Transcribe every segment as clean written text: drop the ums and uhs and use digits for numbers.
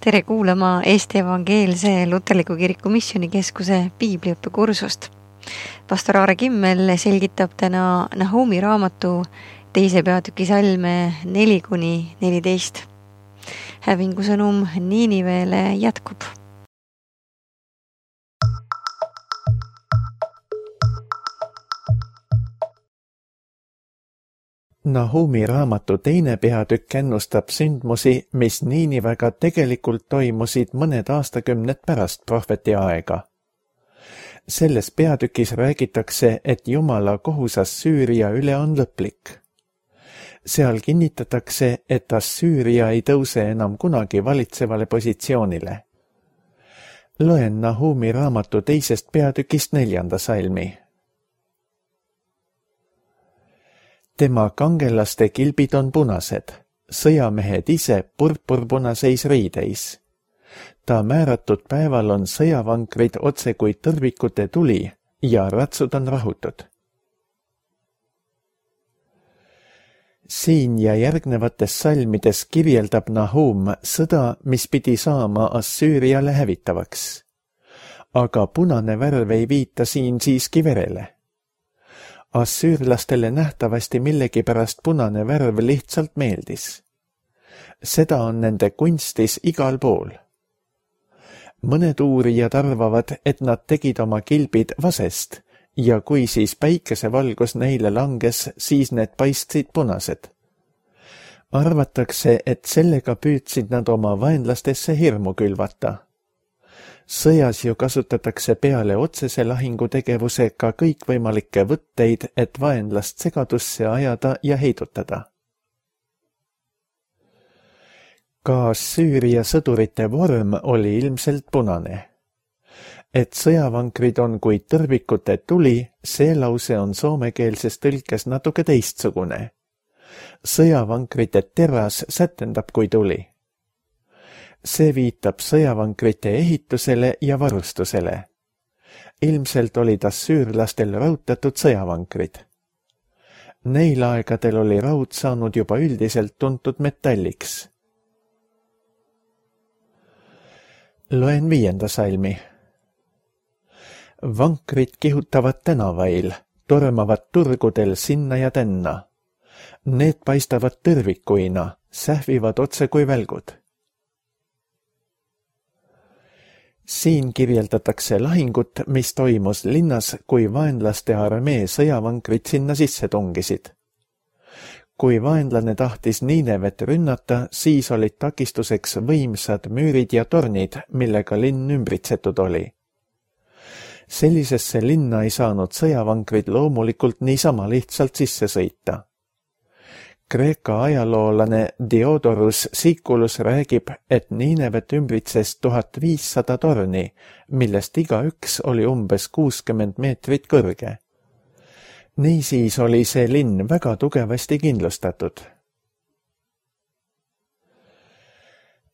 Tere kuulama Eesti Evangeelse Luterliku Kiriku Missioonikeskuse piibliõppekursust. Pastor Aare Kimmel selgitab täna Nahumi raamatu 2. peatüki salme 4-14. Hävingu sõnum Niinivele jätkub. Nahumi raamatu 2. peatükk ennustab sündmusi, mis Niinivega tegelikult toimusid mõned aastakümned pärast prohveti aega. Selles peatükis räägitakse, et Jumala kohus Assüüria üle on lõplik. Seal kinnitatakse, et Assüüria ei tõuse enam kunagi valitsevale positsioonile. Loen Nahumi raamatu 2. peatükist 4. salmi. Tema kangelaste kilbid on punased, sõjamehed ise purpurpunaseis riideis. Ta määratud päeval on sõjavankrid otse kui tõrvikute tuli ja ratsud on rahutud. Siin ja järgnevates salmides kirjeldab Nahum sõda, mis pidi saama Assüüriale hävitavaks. Aga punane värv ei viita siin siiski verele. Assüürlastele nähtavasti millegipärast punane värv lihtsalt meeldis. Seda on nende kunstis igal pool. Mõned uurijad arvavad, et nad tegid oma kilbid vasest ja kui siis päikesevalgus neile langes, siis need paistsid punased. Arvatakse, et sellega püüdsid nad oma vaenlastesse hirmu külvata. Sõjas ju kasutatakse peale otsese lahingutegevusega kõikvõimalikke võtteid, et vaenlast segadusse ajada ja heidutada. Ka Assüüria sõdurite vorm oli ilmselt punane. Et sõjavankrid on kui tõrvikute tuli, see lause on soomekeelses tõlkes natuke teistsugune. Sõjavankrite teras sätendab kui tuli. See viitab sõjavankrite ehitusele ja varustusele. Ilmselt olid assüürlastel raudtatud sõjavankrid. Neil aegadel oli raud saanud juba üldiselt tuntud metalliks. Loen 5. salmi. Vankrid kihutavad tänavail, tormavad turgudel sinna ja tänna. Need paistavad tõrvikuina, sähvivad otse kui välgud. Siin kirjeldatakse lahingut, mis toimus linnas, kui vaenlaste armee sõjavankrid sinna sisse tungisid. Kui vaenlane tahtis Niinevet rünnata, siis olid takistuseks võimsad müürid ja tornid, millega linn ümbritsetud oli. Sellisesse linna ei saanud sõjavankrid loomulikult niisama lihtsalt sisse sõita. Kreeka ajaloolane Diodorus Siculus räägib, et Niinevet ümbritses 1500 torni, millest igaüks oli umbes 60 meetrit kõrge. Niisiis oli see linn väga tugevasti kindlustatud.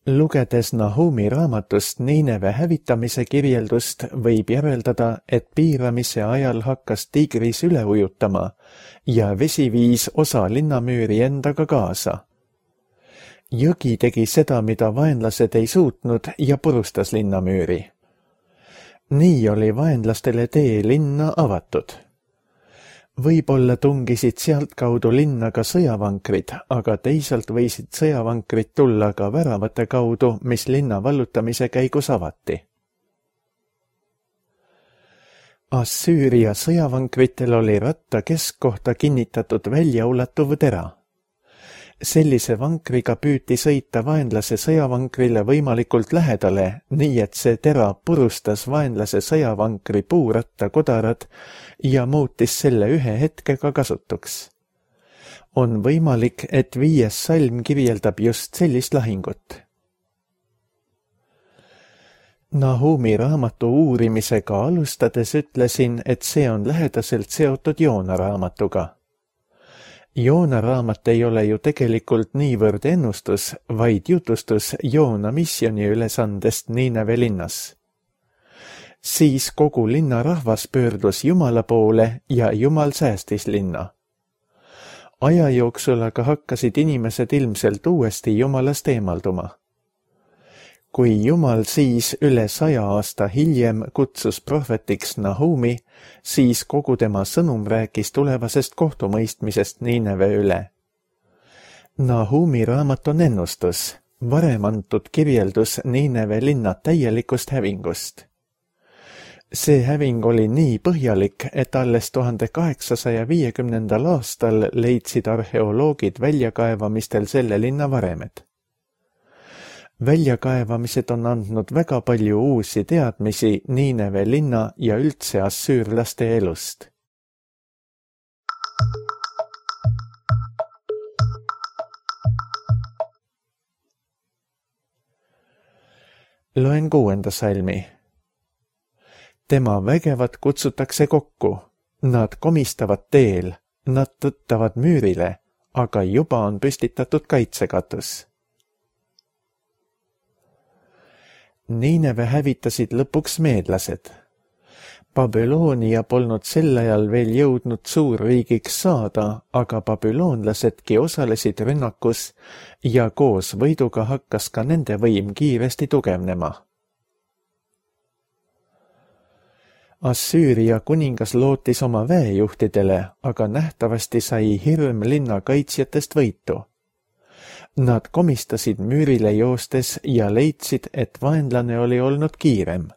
Lugedes Nahumi raamatust Niineve hävitamise kirjeldust, võib järeldada, et piiramise ajal hakkas Tigris üle ujutama ja vesi viis osa linnamüüri endaga kaasa. Jõgi tegi seda, mida vaenlased ei suutnud ja purustas linnamüüri. Nii oli vaenlastele tee linna avatud. Võib-olla tungisid sealt kaudu linna ka sõjavankrid, aga teisalt võisid sõjavankrid tulla ka väravate kaudu, mis linna vallutamise käigus avati. Assüüria sõjavankritel oli ratta keskkohta kinnitatud väljaulatuv tera. Sellise vankriga püüti sõita vaenlase sõjavankrile võimalikult lähedale, nii et see tera purustas vaenlase sõjavankri puuratta kodarad ja muutis selle ühe hetkega kasutuks. On võimalik, et 5. salm kirjeldab just sellist lahingut. Nahumi raamatu uurimisega alustades ütlesin, et see on lähedaselt seotud Joona raamatuga. Joona raamat ei ole ju tegelikult niivõrd ennustus, vaid jutustus Joona missiooni ülesandest Niineve linnas. Siis kogu linna rahvas pöördus Jumala poole ja Jumal säästis linna. Aja jooksul aga hakkasid inimesed ilmselt uuesti Jumalast eemalduma. Kui Jumal siis üle 100 aasta hiljem kutsus prohvetiks Nahumi, siis kogu tema sõnum rääkis tulevasest kohtumõistmisest Niineve üle. Nahumi raamat on ennustus, varem antud kirjeldus Niineve linna täielikust hävingust. See häving oli nii põhjalik, et alles 1850. aastal leidsid arheoloogid väljakaevamistel selle linna varemed. Väljakaevamised on andnud väga palju uusi teadmisi Niineve linna ja üldse assüürlaste elust. Loen 6. salmi. Tema vägevad kutsutakse kokku, nad komistavad teel, nad tõttavad müürile, aga juba on püstitatud kaitsekatus. Niineve hävitasid lõpuks meedlased. Babyloonia polnud sel ajal veel jõudnud suurriigiks saada, aga babüloonlasedki osalesid rünnakus ja koos võiduga hakkas ka nende võim kiiresti tugevnema. Assüüria kuningas lootis oma väejuhtidele, aga nähtavasti sai hirm linna kaitsjatest võitu. Nad komistasid müürile joostes ja leidsid, et vaenlane oli olnud kiirem.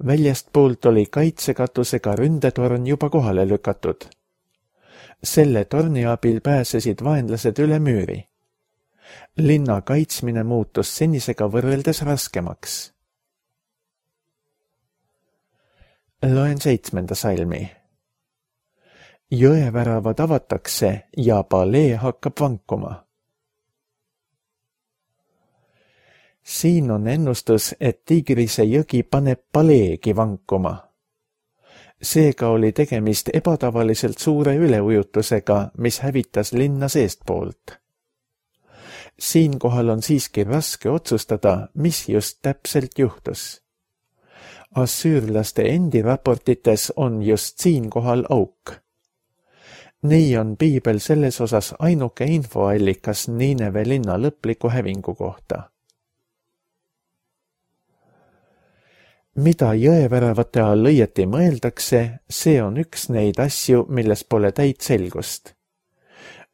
Väljastpoolt oli kaitsekatusega ründetorn juba kohale lükatud. Selle torni abil pääsesid vaenlased üle müüri. Linna kaitsmine muutus senisega võrreldes raskemaks. Loen 7. salmi. Jõeväravad avatakse ja palee hakkab vankuma. Siin on ennustus, et Tigrise jõgi paneb paleegi vankuma. Seega oli tegemist ebatavaliselt suure üleujutusega, mis hävitas linna seestpoolt. Siinkohal on siiski raske otsustada, mis just täpselt juhtus. Assüürlaste endi raportites on just siinkohal auk. Nii on piibel selles osas ainuke infoallikas Niineve linna lõpliku hävingu kohta. Mida jõeväravate all õieti mõeldakse, see on üks neid asju, milles pole täit selgust.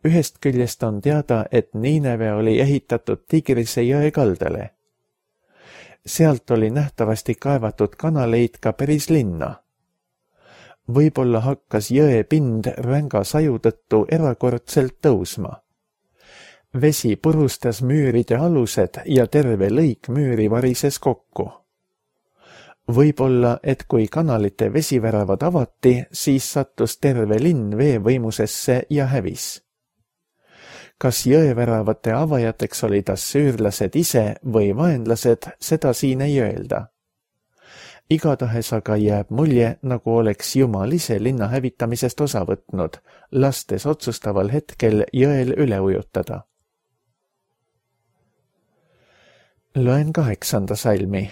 Ühest küljest on teada, et Niineve oli ehitatud Tigrise jõe kaldale. Sealt oli nähtavasti kaevatud kanaleid ka päris linna. Võib-olla hakkas jõe pind ränga saju tõttu erakordselt tõusma. Vesi purustas müüride alused ja terve lõik müüri varises kokku. Võib-olla, et kui kanalite vesiväravad avati, siis sattus terve linn veevõimusesse ja hävis. Kas jõeväravate avajateks olid assüürlased ise või vaenlased, seda siin ei öelda. Igatahes aga jääb mulje, nagu oleks Jumal ise linna hävitamisest osa võtnud, lastes otsustaval hetkel jõel üle ujutada. Loen 8. salmi.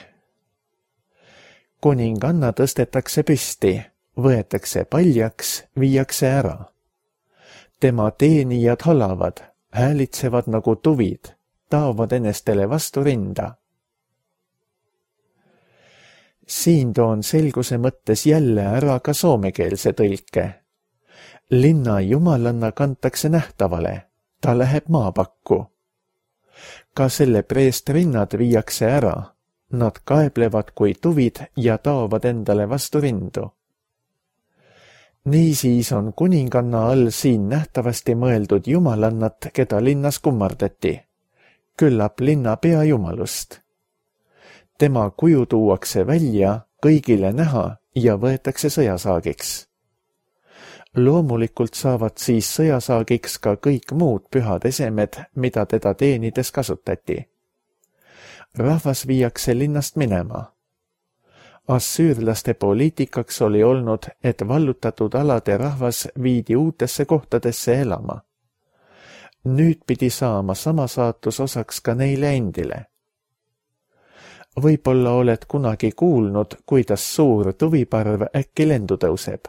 Kuninganna tõstetakse püsti, võetakse paljaks, viiakse ära. Tema teenijad halavad, häälitsevad nagu tuvid, taovad enestele vastu rinda. Siin toon selguse mõttes jälle ära ka soomekeelse tõlke. Linna jumalanna kantakse nähtavale, ta läheb maapakku. Ka selle preestrinnad viiakse ära, nad kaeblevad kui tuvid ja taovad endale vastu rindu. Niisiis on kuninganna all siin nähtavasti mõeldud jumalannat, keda linnas kummardati. Küllap linna peajumalust. Tema kuju tuuakse välja, kõigile näha ja võetakse sõjasaagiks. Loomulikult saavad siis sõjasaagiks ka kõik muud pühad esemed, mida teda teenides kasutati. Rahvas viiakse linnast minema. Assüürlaste poliitikaks oli olnud, et vallutatud alade rahvas viidi uutesse kohtadesse elama. Nüüd pidi saama sama saatus osaks ka neile endile. Võib-olla oled kunagi kuulnud, kuidas suur tuviparv äkki lendu tõuseb.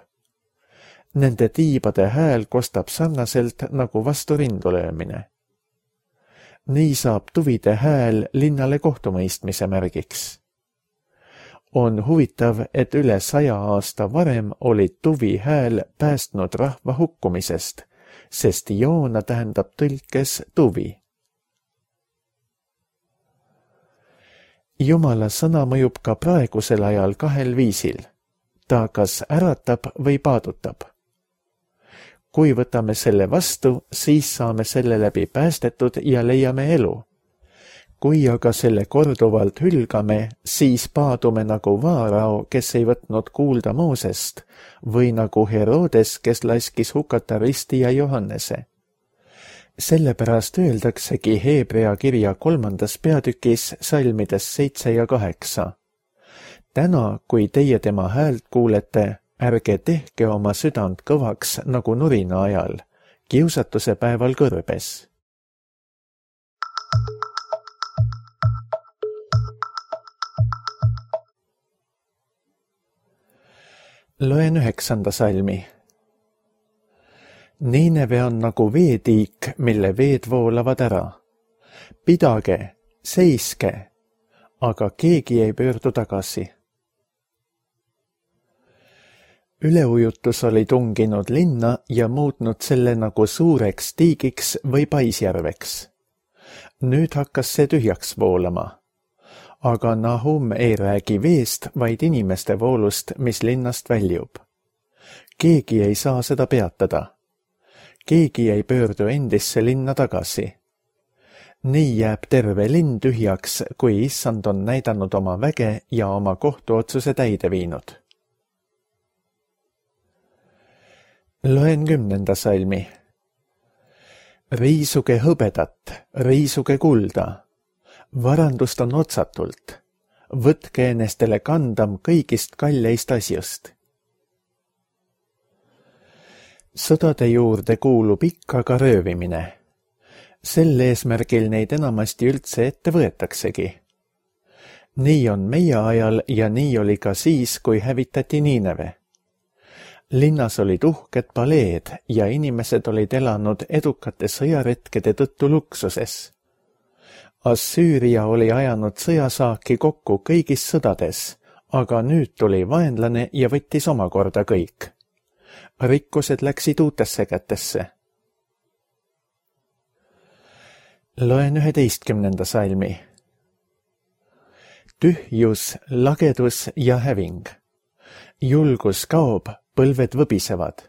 Nende tiibade hääl kostab sarnaselt nagu vastu rindu löömine. nii saab tuvide hääl linnale kohtumõistmise märgiks. On huvitav, et üle 100 aasta varem oli tuvi hääl päästnud rahva hukkumisest, sest Joona tähendab tõlkes tuvi. Jumala sõna mõjub ka praegusel ajal 2 viisil. Ta kas äratab või paadutab. Kui võtame selle vastu, siis saame selle läbi päästetud ja leiame elu. Kui aga selle korduvalt hülgame, siis paadume nagu Vaarao, kes ei võtnud kuulda Moosest, või nagu Herodes, kes laskis hukata Risti ja Johannese. Sellepärast öeldaksegi Heebrea kirja 3. peatükis salmides 7 ja 8. Täna, kui teie tema häält kuulete, ärge tehke oma südant kõvaks nagu nurina ajal, kiusatuse päeval kõrbes. Loen 9. salmi. Niineve on nagu veetiik, mille veed voolavad ära. Pidage, seiske, aga keegi ei pöördu tagasi. Üleujutus oli tunginud linna ja muutnud selle nagu suureks tiigiks või paisjärveks. Nüüd hakkas see tühjaks voolama. Aga Nahum ei räägi veest, vaid inimeste voolust, mis linnast väljub. Keegi ei saa seda peatada. Keegi ei pöördu endisse linna tagasi. Nii jääb terve linn tühjaks, kui issand on näidanud oma väge ja oma kohtuotsuse täide viinud. Loen 10. salmi. Riisuge hõbedat, riisuge kulda. Varandust on otsatult. Võtke enestele kandam kõigist kalleist asjust. Sõdade juurde kuulub ikka ka röövimine. Sel eesmärgil neid enamasti üldse ette võetaksegi. Nii on meie ajal ja nii oli ka siis, kui hävitati Niineve. Linnas olid uhked paleed ja inimesed olid elanud edukate sõjaretkede tõttu luksuses. Assüüria oli ajanud sõjasaaki kokku kõigis sõdades, aga nüüd tuli vaenlane ja võttis omakorda kõik. Rikkused läksid uutesse kätesse. Loen 11. salmi. Tühjus, lagedus ja häving. Julgus kaob, põlved võbisevad.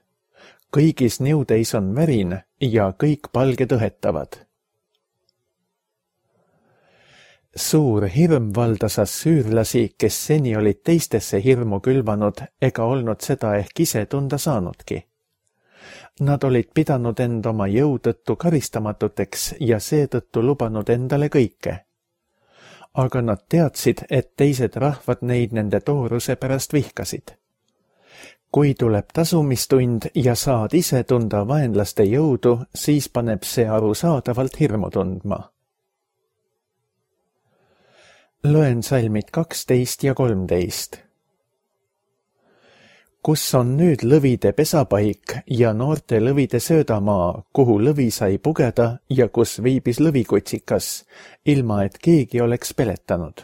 Kõigis niudeis on värin ja kõik palged õhetavad. Suur hirm valdas assüürlasi, kes seni olid teistesse hirmu külvanud ega olnud seda ehk ise tunda saanudki. Nad olid pidanud end oma jõu tõttu karistamatuteks ja seetõttu lubanud endale kõike. Aga nad teadsid, et teised rahvad neid nende tooruse pärast vihkasid. Kui tuleb tasumistund ja saad ise tunda vaenlaste jõudu, siis paneb see arusaadavalt hirmu tundma. Loen salmid 12 ja 13. Kus on nüüd lõvide pesapaik ja noorte lõvide söödamaa, kuhu lõvi sai pugeda ja kus viibis lõvikutsikas, ilma et keegi oleks peletanud?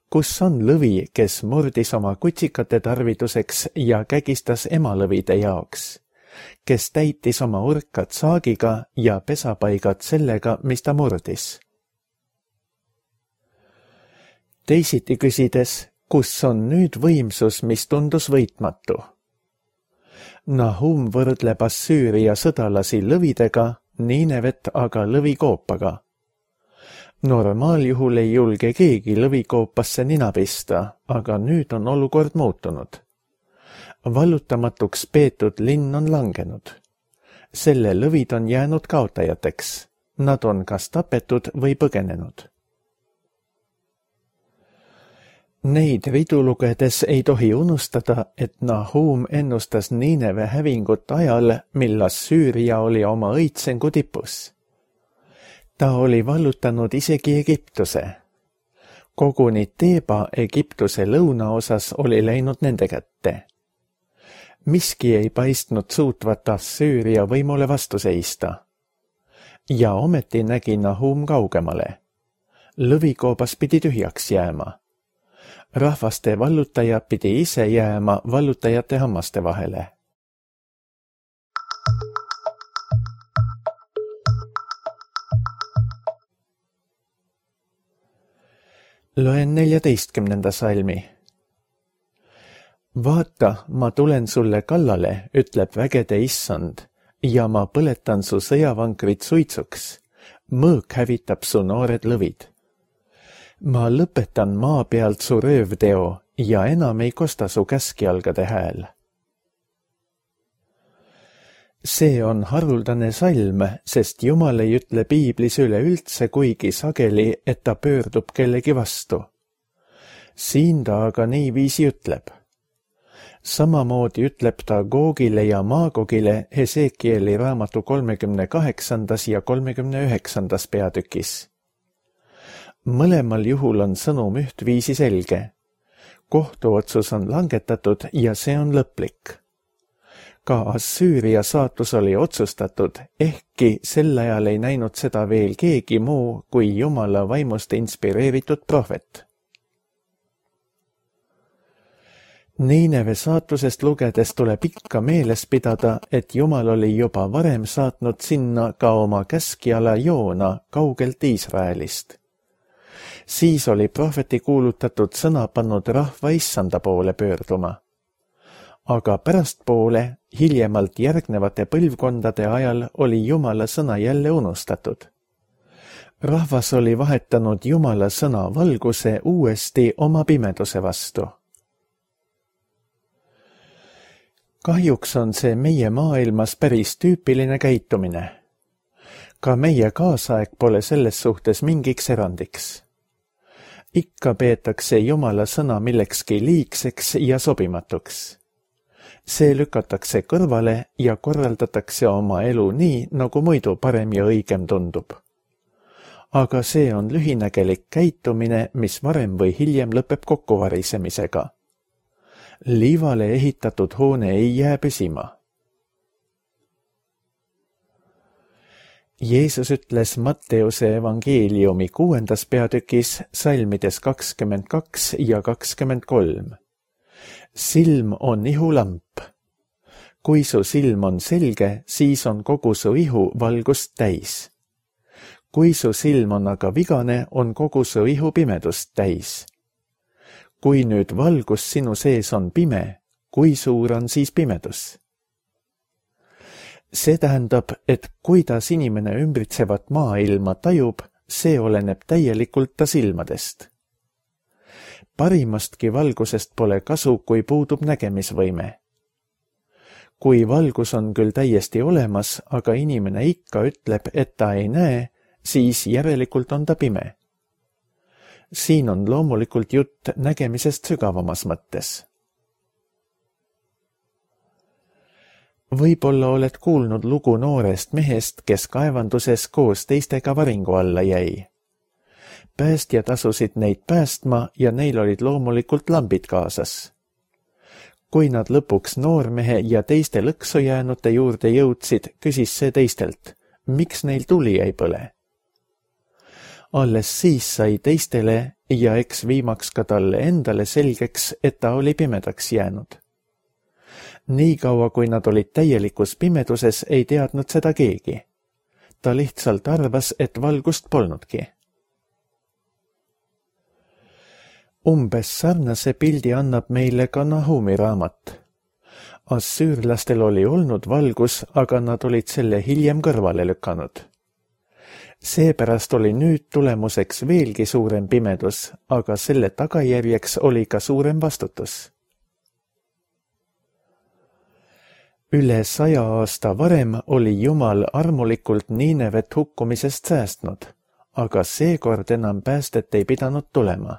Kus on lõvi, kes murdis oma kutsikate tarviduseks ja kägistas emalõvide jaoks, kes täitis oma urkad saagiga ja pesapaigad sellega, mis ta murdis? Teisiti küsides, kus on nüüd võimsus, mis tundus võitmatu? Nahum võrdleb Assüüria sõdalasi lõvidega, Niinevet aga lõvikoopaga. Normaaljuhul ei julge keegi lõvikoopasse nina pista, aga nüüd on olukord muutunud. Vallutamatuks peetud linn on langenud. Selle lõvid on jäänud kaotajateks. Nad on kas tapetud või põgenenud. Neid ridu lugedes ei tohi unustada, et Nahum ennustas Niineve hävingut ajal, mil Assüüria oli oma õitsengu tipus. Ta oli vallutanud isegi Egiptuse. Koguni Teeba Egiptuse lõunaosas oli läinud nende kätte. Miski ei paistnud suutvat Assüüria võimule vastu seista. ja ometi nägi Nahum kaugemale. Lõvikoobas pidi tühjaks jääma. Rahvaste vallutaja pidi ise jääma vallutajate hammaste vahele. Loen 14. salmi. Vaata, ma tulen sulle kallale, ütleb vägede issand, ja ma põletan su sõjavankrit suitsuks. Mõõk hävitab su noored lõvid. Ma lõpetan maa pealt su röövteo ja enam ei kosta su käskjalgade hääl. See on haruldane salm, sest Jumal ei ütle piiblis üleüldse kuigi sageli, et ta pöördub kellegi vastu. Siin ta aga niiviisi ütleb. Samamoodi ütleb ta Googile ja Maagogile Hesekieli raamatu 38. ja 39. peatükis. Mõlemal juhul on sõnum ühtviisi selge. Kohtuotsus on langetatud ja see on lõplik. Ka Assüüria saatus oli otsustatud, ehkki sel ajal ei näinud seda veel keegi muu kui Jumala vaimust inspireeritud prohvet. Niineve saatusest lugedes tuleb ikka meeles pidada, et Jumal oli juba varem saatnud sinna ka oma käskjala Joona kaugelt Iisraelist. Siis oli prohveti kuulutatud sõna pannud rahva issanda poole pöörduma. Aga pärastpoole, hiljemalt järgnevate põlvkondade ajal oli Jumala sõna jälle unustatud. Rahvas oli vahetanud Jumala sõna valguse uuesti oma pimeduse vastu. Kahjuks on see meie maailmas päris tüüpiline käitumine. Ka meie kaasaeg pole selles suhtes mingiks erandiks. Ikka peetakse Jumala sõna millekski liigseks ja sobimatuks. See lükatakse kõrvale ja korraldatakse oma elu nii, nagu muidu parem ja õigem tundub. Aga see on lühinägelik käitumine, mis varem või hiljem lõpeb kokkuvarisemisega. Liivale ehitatud hoone ei jää püsima. Jeesus ütles Matteuse evangeeliumi 6. peatükis salmides 22 ja 23. Silm on ihulamp. Kui su silm on selge, siis on kogu su ihu valgust täis. Kui su silm on aga vigane, on kogu su ihu pimedust täis. Kui nüüd valgus sinu sees on pime, kui suur on siis pimedus? See tähendab, et kuidas inimene ümbritsevat maailma tajub, see oleneb täielikult ta silmadest. Parimastki valgusest pole kasu, kui puudub nägemisvõime. Kui valgus on küll täiesti olemas, aga inimene ikka ütleb, et ta ei näe, siis järelikult on ta pime. Siin on loomulikult jutt nägemisest sügavamas mõttes. Võib-olla oled kuulnud lugu noorest mehest, kes kaevanduses koos teistega varingu alla jäi. Päästjad asusid neid päästma ja neil olid loomulikult lambid kaasas. Kui nad lõpuks noormehe ja teiste lõksu jäänute juurde jõudsid, küsis see teistelt, miks neil tuli ei põle. Alles siis sai teistele ja eks viimaks ka talle endale selgeks, et ta oli pimedaks jäänud. Nii kaua, kui nad olid täielikus pimeduses, ei teadnud seda keegi. Ta lihtsalt arvas, et valgust polnudki. Umbes sarnase pildi annab meile ka Nahumi raamat. Assüürlastel oli olnud valgus, aga nad olid selle hiljem kõrvale lükanud. Seepärast oli nüüd tulemuseks veelgi suurem pimedus, aga selle tagajärjeks oli ka suurem vastutus. Üle 100 aasta varem oli Jumal armulikult Niinevet hukkumisest säästnud, aga seekord enam päästet ei pidanud tulema.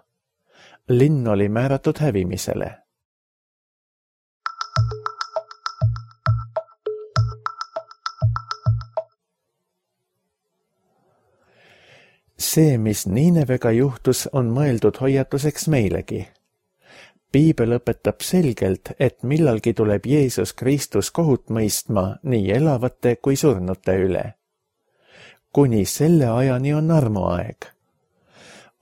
Linn oli määratud hävimisele. See, mis Niinevega juhtus, on mõeldud hoiatuseks meilegi. Piibel õpetab selgelt, et millalgi tuleb Jeesus Kristus kohut mõistma nii elavate kui surnute üle. kuni selle ajani on armuaeg.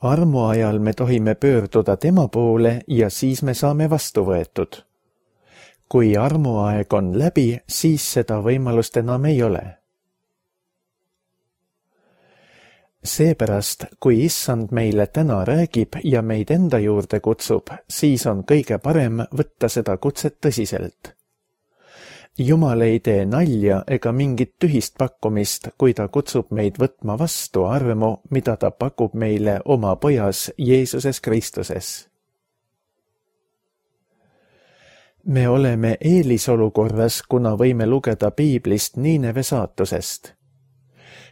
Armuajal me tohime pöörduda tema poole ja siis me saame vastu võetud. Kui armuaeg on läbi, siis seda võimalust enam ei ole. Seepärast, kui issand meile täna räägib ja meid enda juurde kutsub, siis on kõige parem võtta seda kutset tõsiselt. Jumal ei tee nalja ega mingit tühist pakkumist, kui ta kutsub meid võtma vastu armu, mida ta pakub meile oma pojas Jeesuses Kristuses. Me oleme eelisolukorras, kuna võime lugeda Piiblist Niineve saatusest.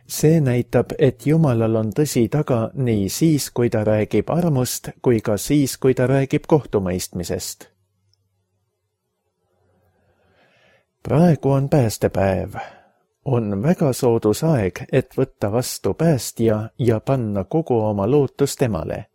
See näitab, et Jumalal on tõsi taga nii siis, kui ta räägib armust, kui ka siis, kui ta räägib kohtumõistmisest. Praegu on päästepäev. On väga soodus aeg, et võtta vastu päästja ja panna kogu oma lootus temale.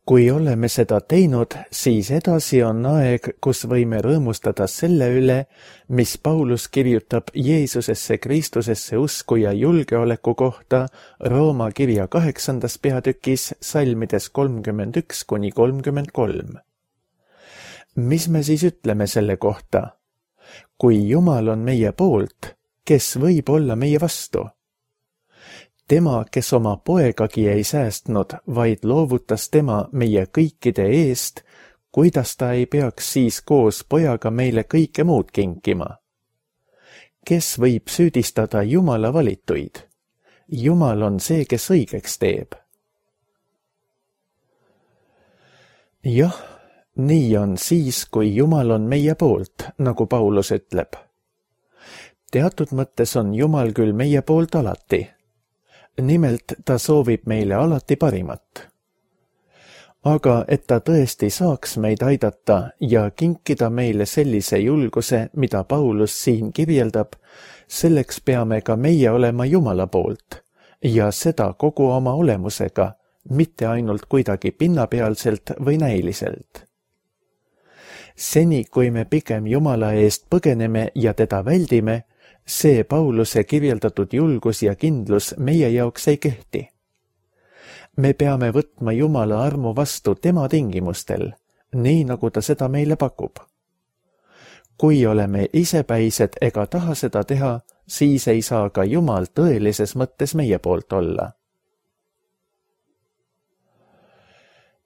Kui oleme seda teinud, siis edasi on aeg, kus võime rõõmustada selle üle, mis Paulus kirjutab Jeesusesse Kristusesse usku ja julgeoleku kohta Rooma kirja 8. peatükis salmides 31–33. Mis me siis ütleme selle kohta? Kui Jumal on meie poolt, kes võib olla meie vastu? Tema, kes oma poegagi ei säästnud, vaid loovutas tema meie kõikide eest, kuidas ta ei peaks siis koos pojaga meile kõike muud kinkima? Kes võib süüdistada Jumala valituid? Jumal on see, kes õigeks teeb. Jah, nii on siis, kui Jumal on meie poolt, nagu Paulus ütleb. Teatud mõttes on Jumal küll meie poolt alati. Nimelt ta soovib meile alati parimat. Aga et ta tõesti saaks meid aidata ja kinkida meile sellise julguse, mida Paulus siin kirjeldab, selleks peame ka meie olema Jumala poolt ja seda kogu oma olemusega, mitte ainult kuidagi pinnapealselt või näiliselt. Seni, kui me pigem Jumala eest põgeneme ja teda väldime, see Pauluse kirjeldatud julgus ja kindlus meie jaoks ei kehti. Me peame võtma Jumala armu vastu tema tingimustel, nii nagu ta seda meile pakub. Kui oleme isepäised ega taha seda teha, siis ei saa ka Jumal tõelises mõttes meie poolt olla.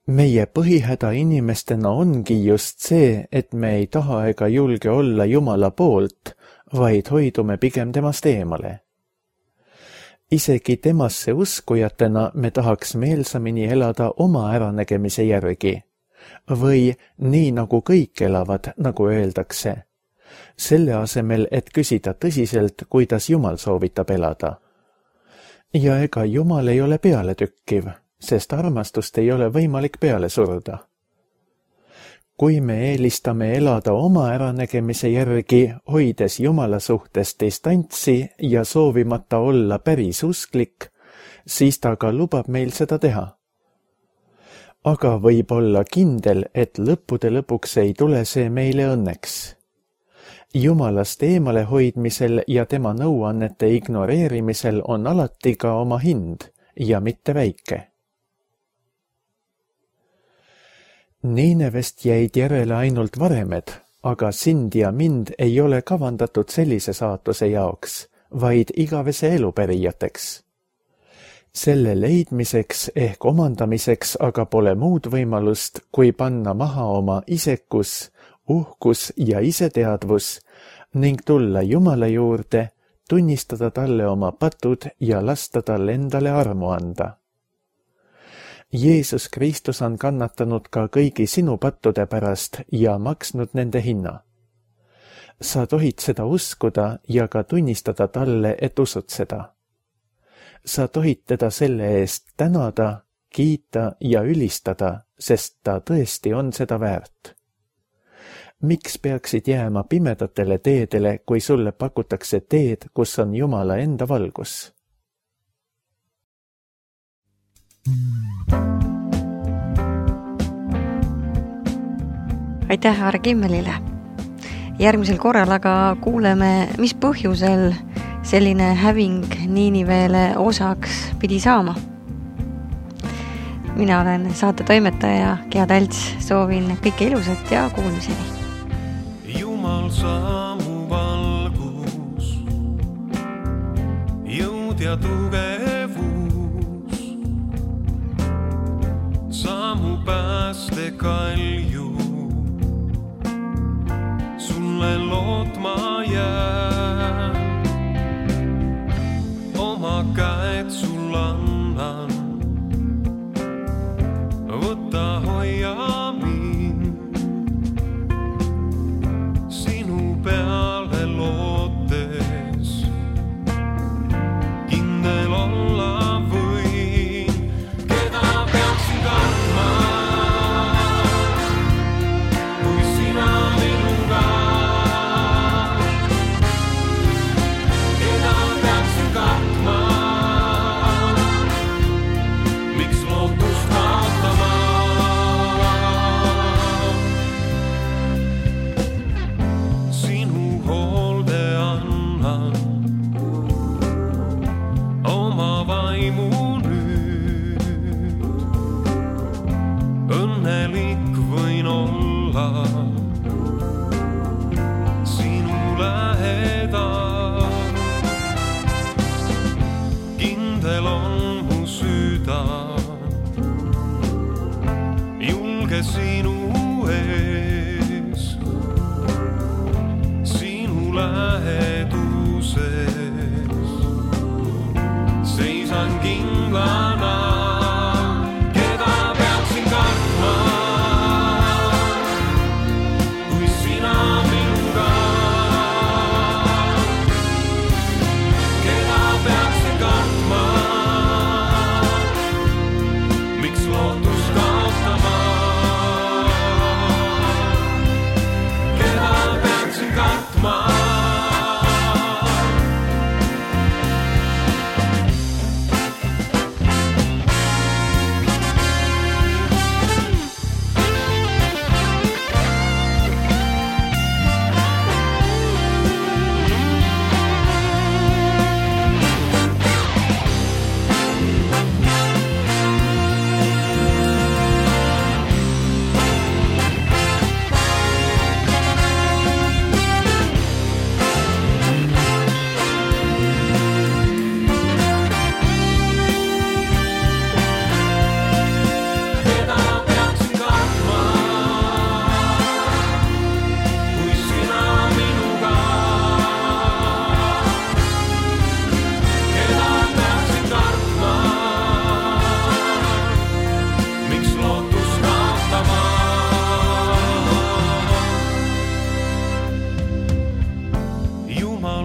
Meie põhihäda inimestena ongi just see, et me ei taha ega julge olla Jumala poolt, vaid hoidume pigem temast eemale. Isegi temasse uskujatena me tahaks meelsamini elada oma äranägemise järgi. Või nii nagu kõik elavad, nagu öeldakse. Selle asemel, et küsida tõsiselt, kuidas Jumal soovitab elada. Ja ega Jumal ei ole pealetükkiv, sest armastust ei ole võimalik peale suruda. Kui me eelistame elada oma äranägemise järgi, hoides Jumala suhtes distantsi ja soovimata olla päris usklik, siis ta ka lubab meil seda teha. Aga võib olla kindel, et lõppude lõpuks ei tule see meile õnneks. Jumalast eemale hoidmisel ja tema nõuannete ignoreerimisel on alati ka oma hind ja mitte väike. Niinevest jäid järele ainult varemed, aga sind ja mind ei ole kavandatud sellise saatuse jaoks, vaid igavese elu pärijateks. Selle leidmiseks ehk omandamiseks aga pole muud võimalust, kui panna maha oma isekus, uhkus ja iseteadvus ning tulla Jumala juurde, tunnistada talle oma patud ja lasta talle endale armu anda. Jeesus Kristus on kannatanud ka kõigi sinu pattude pärast ja maksnud nende hinna. Sa tohid seda uskuda ja ka tunnistada talle, et usud seda. Sa tohid teda selle eest tänada, kiita ja ülistada, sest ta tõesti on seda väärt. Miks peaksid jääma pimedatele teedele, kui sulle pakutakse teed, kus on Jumala enda valgus? Aitäh Aare Kimmelile. Järgmisel korral aga kuuleme, mis põhjusel selline häving Niiniveele osaks pidi saama. Mina olen saate toimetaja Gea Talts, soovin kõike ilusat ja kuulmiseni. Jumal saamu valgus, jõud ja tugevus, saamu pääste kalju, sulle lootma jää, oma käed sul annan. Võta hoia mind, sinu peale lootes, kindel olla võin, keda peaksin kartma, kui sina minuga, keda peaksin kartma, miks lootust kaotama. Õnnelik võin olla sinu lähedal, kindel on mu süda, julge sinu ees, sinu läheduses, seisan kindlana.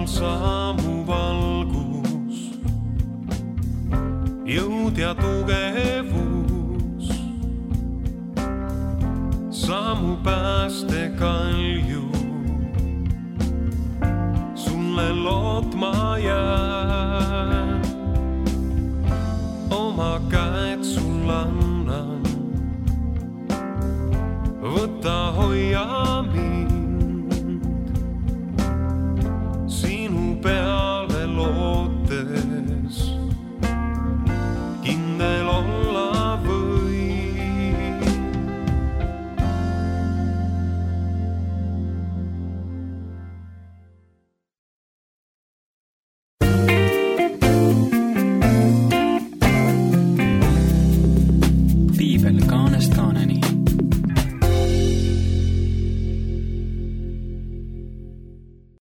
Saamu valgus, jõud ja tugevus, saamu pääste kalju, sulle lootma jää, oma käed sul annan, võta hoia mind.